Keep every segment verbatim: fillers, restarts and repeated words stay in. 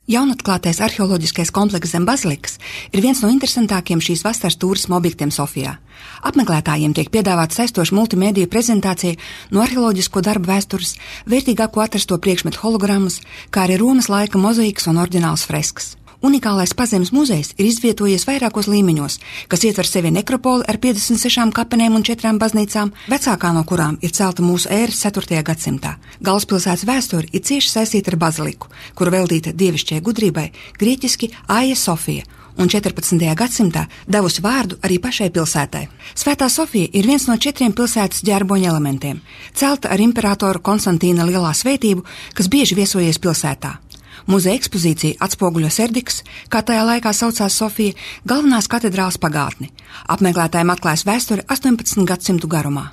Jaunatklātais arheoloģiskais komplekss zem bazilikas ir viens no interesantākiem šīs vasaras turisma objektiem Sofijā. Apmeklētājiem tiek piedāvāta saistoša multimediju prezentācija no arheoloģisko darbu vēstures, vērtīgāko atrasto priekšmetu hologrammas, kā arī Romas laika mozaīkas un oriģinālas freskas. Unikālais Pazemes muzejs ir izvietojies vairākos līmeņos, kas ietver sevi nekropoli ar piecdesmit sešām kapenēm un četrām baznīcām, vecākā no kurām ir celta mūsu ēras ceturtajā gadsimtā. Galvaspilsētas vēsture ir cieši saistīta ar baziliku, kura veltīta dievišķajai gudrībai, grieķiski Aija Sofija, un četrpadsmitajā gadsimtā devusi vārdu arī pašai pilsētai. Svētā Sofija ir viens no četriem pilsētas ģerboņa elementiem, celta ar imperatoru Konstantīna lielā svētību, kas bieži viesojies pilsētā. Muzeja ekspozīcija atspoguļo Serdikas, kā tajā laikā saucās Sofija, galvenās katedrāles pagātni. Apmeklētājiem atklājas vēsture astoņpadsmit gadsimtu garumā.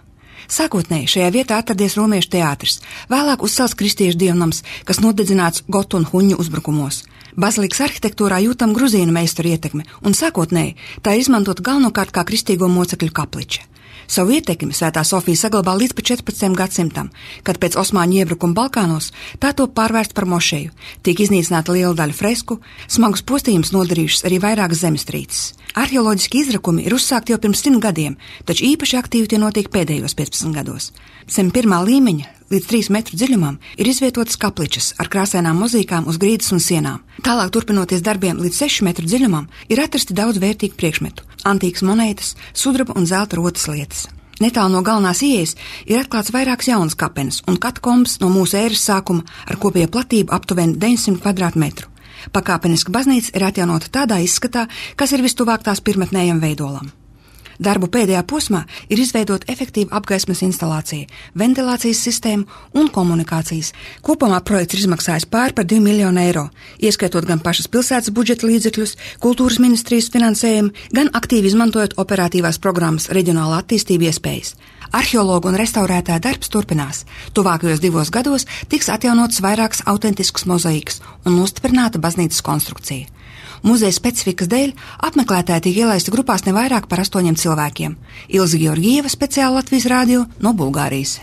Sākotnēji šajā vietā atradies romiešu teātris, vēlāk uzcelts kristiešu dievnams, kas nodedzināts gotu un huņu uzbrukumos. Bazilikas arhitektūrā jūtam gruzīnu meistaru ietekme, un sākotnēji tā ir izmantota galvenokārt kā kristīgo mocekļu kapliča. Savu ietekmi Svētā Sofija saglabā līdz pat četrpadsmitajam gadsimtam, kad pēc osmaņu iebrukuma Balkānos tā top pārvērsta par mošeju, tiek iznīcināta liela daļa fresku, smagus postījumus nodarījušas arī vairākas zemestrīces. Arheoloģiski izrakumi ir uzsākti jau pirms simt gadiem, taču īpaši aktīvi tie notiek pēdējos piecpadsmit gados. Zem pirmā līmeņa līdz trīs metru dziļumam ir izvietotas kapličas ar krāsainām mozīkām uz grīdas un sienām. Tālāk turpinoties darbiem līdz sešu metru dziļumam ir atrasti daudz vērtīgu priekšmetu, antīkas monētas, sudraba un zelta rotas lietas. Netālu no galvenās ieejas ir atklāts vairākas jaunas kapenes un katakombas no mūsu ēras sākuma ar kopējo platību aptuveni deviņsimt kvadrātmetru. Pakāpeniska baznīca ir atjaunota tādā izskatā, kas ir vistuvāk tās pirmotnējam veidolam. Darbu pēdējā posmā ir izveidota efektīva apgaismas instalācija, ventilācijas sistēma un komunikācijas. Kopumā projekts ir izmaksājis pār par divu miljonu eiro, ieskaitot gan pašas pilsētas budžeta līdzekļus, kultūras ministrijas finansējumu, gan aktīvi izmantojot operatīvās programmas reģionāla attīstība iespējas. Arheologu un restaurētāja darbs turpinās. Tuvākajos divos gados tiks atjaunotas vairākas autentiskas mozaīkas un nostiprināta baznīcas konstrukcija. Muzeja specifikas dēļ apmeklētāji tiek ielaisti grupās ne vairāk par astoņiem cilvēkiem. Ilze Georgieva, speciāli Latvijas radio no Bulgārijas.